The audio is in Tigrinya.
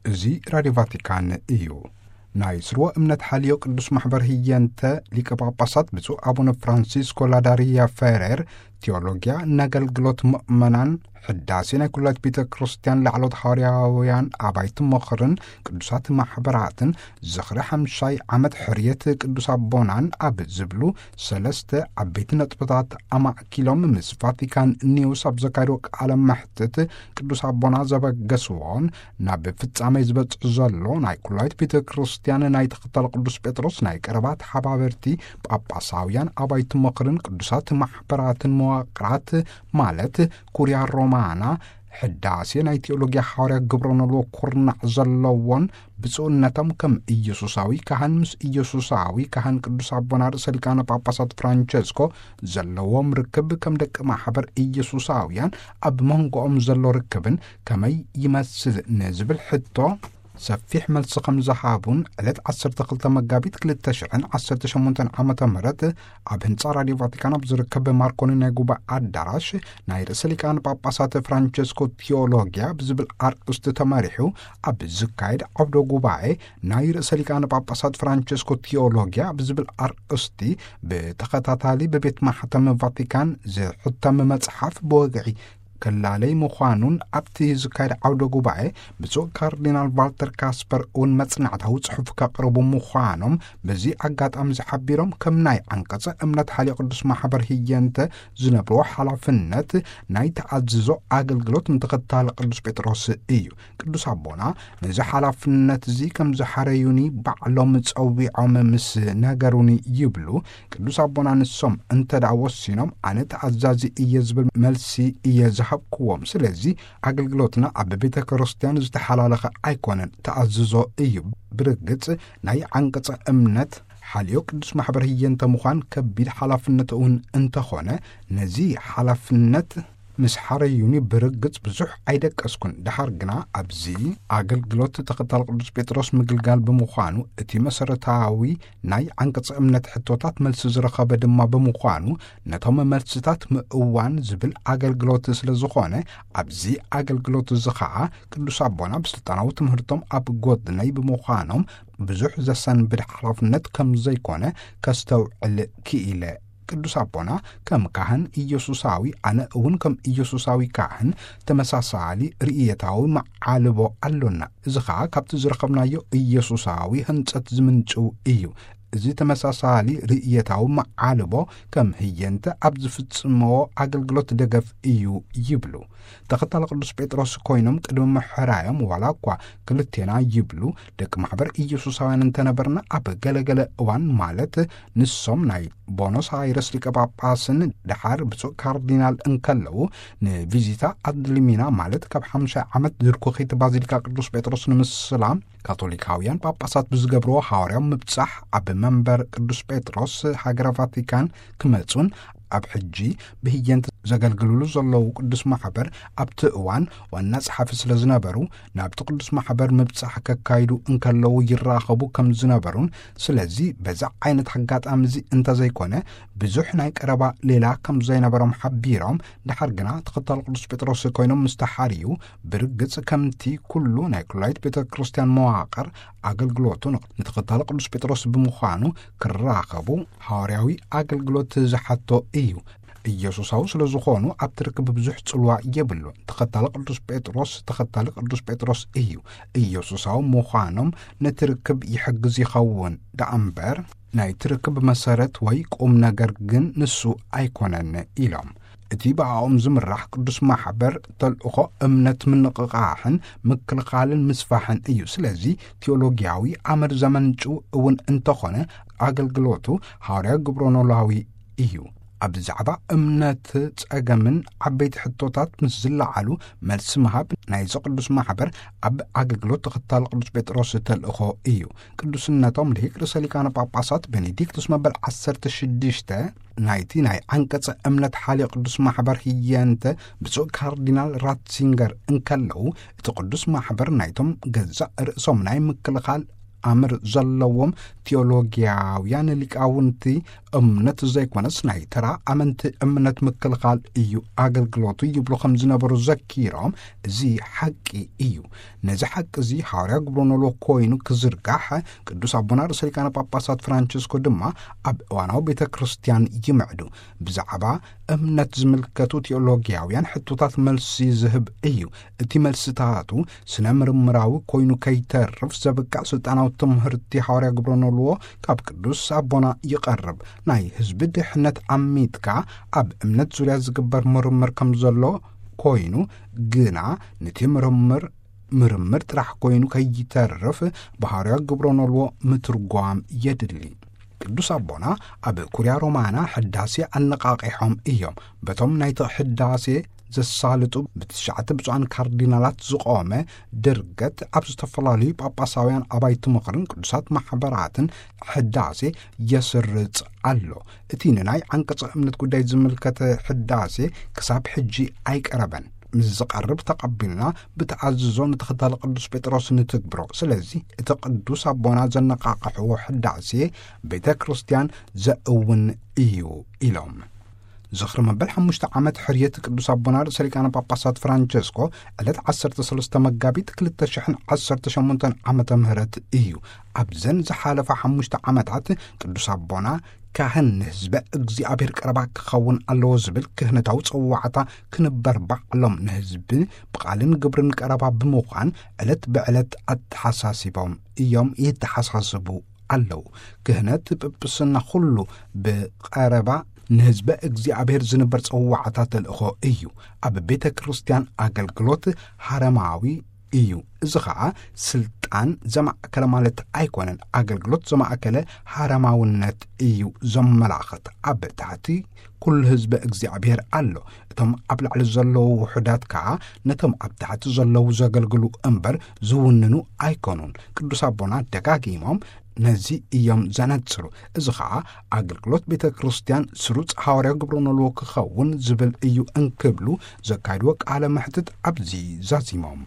እዚ ራድዮ ቫቲካን እዩ። ናይ ስርወ እምነት ሓልዮ ቅዱስ ማሕበር ህየንተ ሊቀ ጳጳሳት ብፁዕ ኣቡነ ፍራንሲስኮ ላዳሪያ ፌሬር፣ ቴዎሎጊያ ነገልግሎት ምእመናን፣ ሕዳሴ ናይ ኩላይት ቤተ ክርስቲያን፣ ላዕሎት ሃዋርያውያን ኣባይቲ ምኽርን ቅዱሳት ማሕበራትን፣ ዝኽሪ ሓምሻይ ዓመት ሕርየት ቅዱስ ኣቦናን ኣብ ዝብሉ ሰለስተ ዓበይቲ ነጥብታት ኣማእኪሎም ምስ ቫቲካን ኒውስ ኣብ ዘካየድዎ ቃለ መሕትት፣ ቅዱስ ኣቦና ዘበገስዎን ናብ ፍጻሜ ዝበጽሕ ዘሎ ናይ ኩላይት ቤተ ክርስቲያን ናይ ተኸታሊ ቅዱስ ጴጥሮስ ናይ ቀረባ ተሓባበርቲ ጳጳሳውያን ኣባይቲ ምኽርን ቅዱሳት ማሕበራትን መዋቕራት፣ ማለት ኩርያ ሮማና፣ ሕዳሴ ናይ ቴዎሎጊያ ሓዋርያ ግብረ ኖልዎ ኩርናዕ ዘለዎን፣ ብፁዕነቶም ከም ኢየሱሳዊ ካህን ምስ ኢየሱሳዊ ካህን ቅዱስ ኣቦና ርእሰ ሊቃነ ጳጳሳት ፍራንቸስኮ ዘለዎም ርክብ፣ ከም ደቂ ማሕበር ኢየሱሳውያን ኣብ መንጎኦም ዘሎ ርክብን ከመይ ይመስል ንዝብል ሕቶ ሰፊሕ መልሲ ከም ዝሃቡን፣ ዕለት ዓሰርተ ክልተ መጋቢት ክልተ ሽሕን ዓሰርተ ሸሞንተን ዓመተ ምህረት ኣብ ህንጻ ራድዮ ቫቲካን ኣብ ዝርከብ ማርኮኒ ናይ ጉባኤ ኣዳራሽ ናይ ርእሰ ሊቃነ ጳጳሳት ፍራንቸስኮ ቴዎሎጊያ ብዝብል ኣርእስቲ ተመሪሑ ኣብ ዝካየድ ዓውደ ጉባኤ፣ ናይ ርእሰ ሊቃነ ጳጳሳት ፍራንቸስኮ ቴዎሎጊያ ብዝብል ኣርእስቲ ብተኸታታሊ ብቤት ማሕተም ቫቲካን ዝሕተም መጽሓፍ ብወግዒ ክላለይ ምዃኑን፣ ኣብቲ ዝካየድ ዓውደ ጉባኤ ብፁዕ ካርዲናል ቫልተር ካስፐር እውን መጽናዕታዊ ጽሑፍ ከቕርቡ ምዃኖም በዚ ኣጋጣሚ ዝሓቢሮም፣ ከም ናይ ዓንቀጸ እምነት ሓልዮ ቅዱስ ማሕበር ህየንተ ዝነብርዎ ሓላፍነት ናይ ተኣዝዞ ኣገልግሎት ንተኸታሊ ቅዱስ ጴጥሮስ እዩ። ቅዱስ ኣቦና ነዚ ሓላፍነት እዚ ከም ዝሓረዩኒ ባዕሎም ጸዊዖም ምስ ነገሩኒ ይብሉ። ቅዱስ ኣቦና ንሶም እንተ ደኣ ወሲኖም፣ ኣነ ተኣዛዚ እየ ዝብል መልሲ እየ ዝሃብክዎም። ስለዚ ኣገልግሎትና ኣብ ቤተ ክርስቲያን ዝተሓላለኸ ኣይኮነን፣ ተኣዝዞ እዩ። ብርግጽ ናይ ዓንቀጸ እምነት ሓልዮ ቅዱስ ማሕበር ህየንተ ምዃን ከቢድ ሓላፍነት እውን እንተኾነ፣ ነዚ ሓላፍነት ምስ ሓረዩኒ ብርግጽ ብዙሕ ኣይደቀስኩን። ደሓር ግና ኣብዚ ኣገልግሎት ተኸታሊ ቅዱስ ጴጥሮስ ምግልጋል ብምዃኑ፣ እቲ መሰረታዊ ናይ ዓንቀጸ እምነት ሕቶታት መልሲ ዝረኸበ ድማ ብምዃኑ፣ ነቶም መልስታት ምእዋን ዝብል ኣገልግሎት ስለ ዝኾነ፣ ኣብዚ ኣገልግሎት እዚ ኸዓ ቅዱስ ኣቦና ብስልጣናዊ ትምህርቶም ኣብ ጎድነይ ብምዃኖም፣ ብዙሕ ዘሰንብድ ሓላፍነት ከም ዘይኮነ ከስተውዕል ክኢለ። ቅዱስ ኣቦና ከም ካህን ኢየሱሳዊ፣ ኣነ እውን ከም ኢየሱሳዊ ካህን ተመሳሳሊ ርእየታዊ መዓልቦ ኣሎና። እዚ ኸኣ ካብቲ ዝረኸብናዮ ኢየሱሳዊ ህንጸት ዝምንጭው እዩ። እዚ ተመሳሳሊ ርእየታዊ መዓልቦ ከም ህየንተ ኣብ ዝፍጽምዎ ኣገልግሎት ደገፍ እዩ ይብሉ። ተኸታሊ ቅዱስ ጴጥሮስ ኮይኖም ቅድሚ ምሕራዮም፣ ዋላ እኳ ክልቴና ይብሉ ደቂ ማሕበር ኢየሱሳውያን እንተነበርና፣ ኣብ ገለገለ እዋን፣ ማለት ንሶም ናይ ቦኖስ ኣይረስ ሊቀ ጳጳስን ደሓር ብፁዕ ካርዲናል እንከለዉ፣ ንቪዚታ ኣድሊሚና፣ ማለት ካብ ሓምሻይ ዓመት ድርኩኺት ባዚሊካ ቅዱስ ጴጥሮስ ንምስላ ካቶሊካውያን ጳጳሳት ብዝገብርዎ ሃዋርያዊ ምብጻሕ ኣብ መንበር ቅዱስ ጴጥሮስ ሃገረ ቫቲካን ክመጹን፣ ኣብ ሕጂ ብህየንት ዘገልግልሉ ዘለዉ ቅዱስ ማሕበር ኣብቲ እዋን ዋና ጸሓፊ ስለ ዝነበሩ፣ ናብቲ ቅዱስ ማሕበር ምብጻሕ ከካይዱ እንከለዉ ይራኸቡ ከም ዝነበሩን፣ ስለዚ በዛ ዓይነት ኣጋጣሚ እዚ እንተዘይኮነ ብዙሕ ናይ ቀረባ ሌላ ከም ዘይነበሮም ሓቢሮም፣ ደሓር ግና ተኸታሊ ቅዱስ ጴጥሮስ ኮይኖም ምስ ተሓርዩ፣ ብርግጽ ከምቲ ኩሉ ናይ ኩላይት ቤተ ክርስቲያን መዋቕር ኣገልግሎቱ ንተኸታሊ ቅዱስ ጴጥሮስ ብምዃኑ ክራኸቡ ሃዋርያዊ ኣገልግሎት ዝሓቶ እዩ። ኢየሱሳዊ ስለ ዝኾኑ ኣብቲ ርክብ ብዙሕ ጽልዋ የብሉን። ተኸታሊ ቅዱስ ጴጥሮስ ተኸታሊ ቅዱስ ጴጥሮስ እዩ። ኢየሱሳዊ ምዃኖም ነቲ ርክብ ይሕግዝ ይኸውን ደኣ እምበር፣ ናይቲ ርክብ መሰረት ወይ ቁም ነገር ግን ንሱ ኣይኮነን ኢሎም። እቲ ብኣኦም ዝምራሕ ቅዱስ ማሕበር ተልእኾ እምነት ምንቕቓሕን ምክልኻልን ምስፋሕን እዩ። ስለዚ ቴዎሎጊያዊ ኣምር ዘመንጩ እውን እንተኾነ፣ ኣገልግሎቱ ሃዋርያ ግብረ ኖላዊ እዩ። ኣብ ብዛዕባ እምነት ጸገምን ዓበይቲ ሕቶታት ምስ ዝለዓሉ፣ መልሲ ምሃብ ናይዚ ቅዱስ ማሕበር ኣብ ኣገልግሎት ተኸታሊ ቅዱስ ጴጥሮስ ተልእኾ እዩ። ቅዱስነቶም ልሂቅ ርእሰ ሊቃነ ጳጳሳት ቤኔዲክቱስ መበል ዓሰርተ ሽዱሽተ፣ ናይቲ ናይ ዓንቀጸ እምነት ሓልዮ ቅዱስ ማሕበር ህየንተ ብፁዕ ካርዲናል ራትሲንገር እንከለዉ፣ እቲ ቅዱስ ማሕበር ናይቶም ገዛእ ርእሶም ናይ ምክልኻል ኣምር ዘለዎም ቴዎሎጊያውያን ሊቃውንቲ እምነት ዘይኮነስ ናይ ተራ ኣመንቲ እምነት ምክልኻል እዩ ኣገልግሎቱ ይብሉ ከም ዝነበሩ ዘኪሮም፣ እዚ ሓቂ እዩ። ነዚ ሓቂ እዚ ሃዋርያ ግብረኖሎ ኮይኑ ክዝርጋሕ ቅዱስ ኣቦና ርእሰ ሊቃነ ጳጳሳት ፍራንቸስኮ ድማ ኣብ እዋናዊ ቤተ ክርስቲያን ይምዕዱ። ብዛዕባ እምነት ዝምልከቱ ቴዎሎጊያውያን ሕቶታት መልሲ ዝህብ እዩ። እቲ መልስታቱ ስነ ምርምራዊ ኮይኑ ከይተርፍ ዘብቅዕ ስልጣናዊ ትምህርቲ ሃዋርያ ግብረኖልዎ ካብ ቅዱስ ኣቦና ይቐርብ። ናይ ህዝቢ ድሕነት ኣሚትካ ኣብ እምነት ዙርያ ዝግበር ምርምር ከም ዘሎ ኮይኑ ግና ነቲ ምርምር ምርምር ጥራሕ ኮይኑ ከይተርፍ ብሃዋርያ ግብረኖልዎ ምትርጓም የድሊ። ቅዱስ ኣቦና ኣብ ኩርያ ሮማና ሕዳሴ ኣነቓቒሖም እዮም። በቶም ናይቲ ሕዳሴ ዘሳልጡ ብትሽዓተ ብፁዓን ካርዲናላት ዝቖመ ድርገት ኣብ ዝተፈላለዩ ጳጳሳውያን ኣባይቲ ምኽርን ቅዱሳት ማሕበራትን ሕዳሴ የስርጽ ኣሎ። እቲ ንናይ ዓንቀጸ እምነት ጉዳይ ዝምልከተ ሕዳሴ ክሳብ ሕጂ ኣይቀረበን። ምስ ዝቐርብ ተቐቢልና ብተኣዝዞ ንተኸታሊ ቅዱስ ጴጥሮስ ንትግብሮ። ስለዚ እቲ ቅዱስ ኣቦና ዘነቓቕሕዎ ሕዳሴ ቤተ ክርስቲያን ዘእውን እዩ ኢሎም። ዝኽሪ መበል ሓሙሽተ ዓመት ሕርየት ቅዱስ ኣቦና ርእሰ ሊቃነ ጳጳሳት ፍራንቸስኮ ዕለት ዓሰርተ ሰለስተ መጋቢት ክልተ ሽሕን ዓሰርተ ሸሞንተን ዓመተ ምህረት እዩ። ኣብዘን ዝሓለፋ ሓሙሽተ ዓመታት ቅዱስ ኣቦና ካህን ንህዝበ እግዚኣብሔር ቀረባ ክኸውን ኣለዎ ዝብል ክህነታዊ ጽዋዕታ ክንበር ባዕሎም ንህዝቢ ብቓልን ግብርን ቀረባ ብምዃን ዕለት ብዕለት ኣተሓሳሲቦም እዮም፣ ይተሓሳስቡ ኣለዉ። ክህነት ጵጵስና ኩሉ ብቐረባ ንህዝበ እግዚኣብሔር ዝንበር ጽዋዕታ ተልእኾ እዩ። ኣብ ቤተ ክርስቲያን ኣገልግሎት ሃረማዊ እዩ። እዚ ኸኣ ስልጣን ዘማእከለ ማለት ኣይኮነን። ኣገልግሎት ዘማእከለ ሃረማውነት እዩ ዘመላኽት። ኣብ ታሕቲ ኩሉ ህዝበ እግዚኣብሔር ኣሎ። እቶም ኣብ ላዕሊ ዘለዉ ውሑዳት ከኣ ነቶም ኣብ ታሕቲ ዘለዉ ዘገልግሉ እምበር ዝውንኑ ኣይኮኑን። ቅዱስ ኣቦና ደጋጊሞም ነዚ እዮም ዘነጽሩ። እዚ ኸኣ ኣገልግሎት ቤተ ክርስቲያን ስሩጽ ሃዋርያዊ ግብረ ኖልዎ ክኸውን ዝብል እዩ እንክብሉ ዘካይድዎ ቃለ መሕትት ኣብዚ ዛዚሞም።